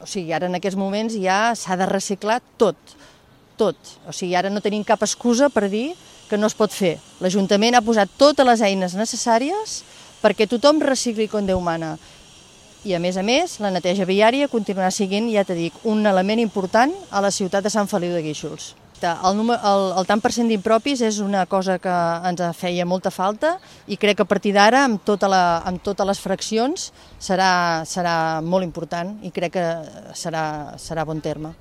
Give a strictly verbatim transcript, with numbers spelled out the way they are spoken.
o sigui, ara en aquests moments ja s'ha de reciclar tot, tot. O sigui, ara no tenim cap excusa per dir que no es pot fer. L'Ajuntament ha posat totes les eines necessàries perquè tothom recicli com Déu mana. I a més a més, la neteja viària continuarà sent, ja t'he dit, un element important a la ciutat de Sant Feliu de Guíxols. El, número, el, el tant per cent d'impropis és una cosa que ens feia molta falta i crec que a partir d'ara, amb, tota la, amb totes les fraccions, serà, serà molt important i crec que serà, serà bon terme.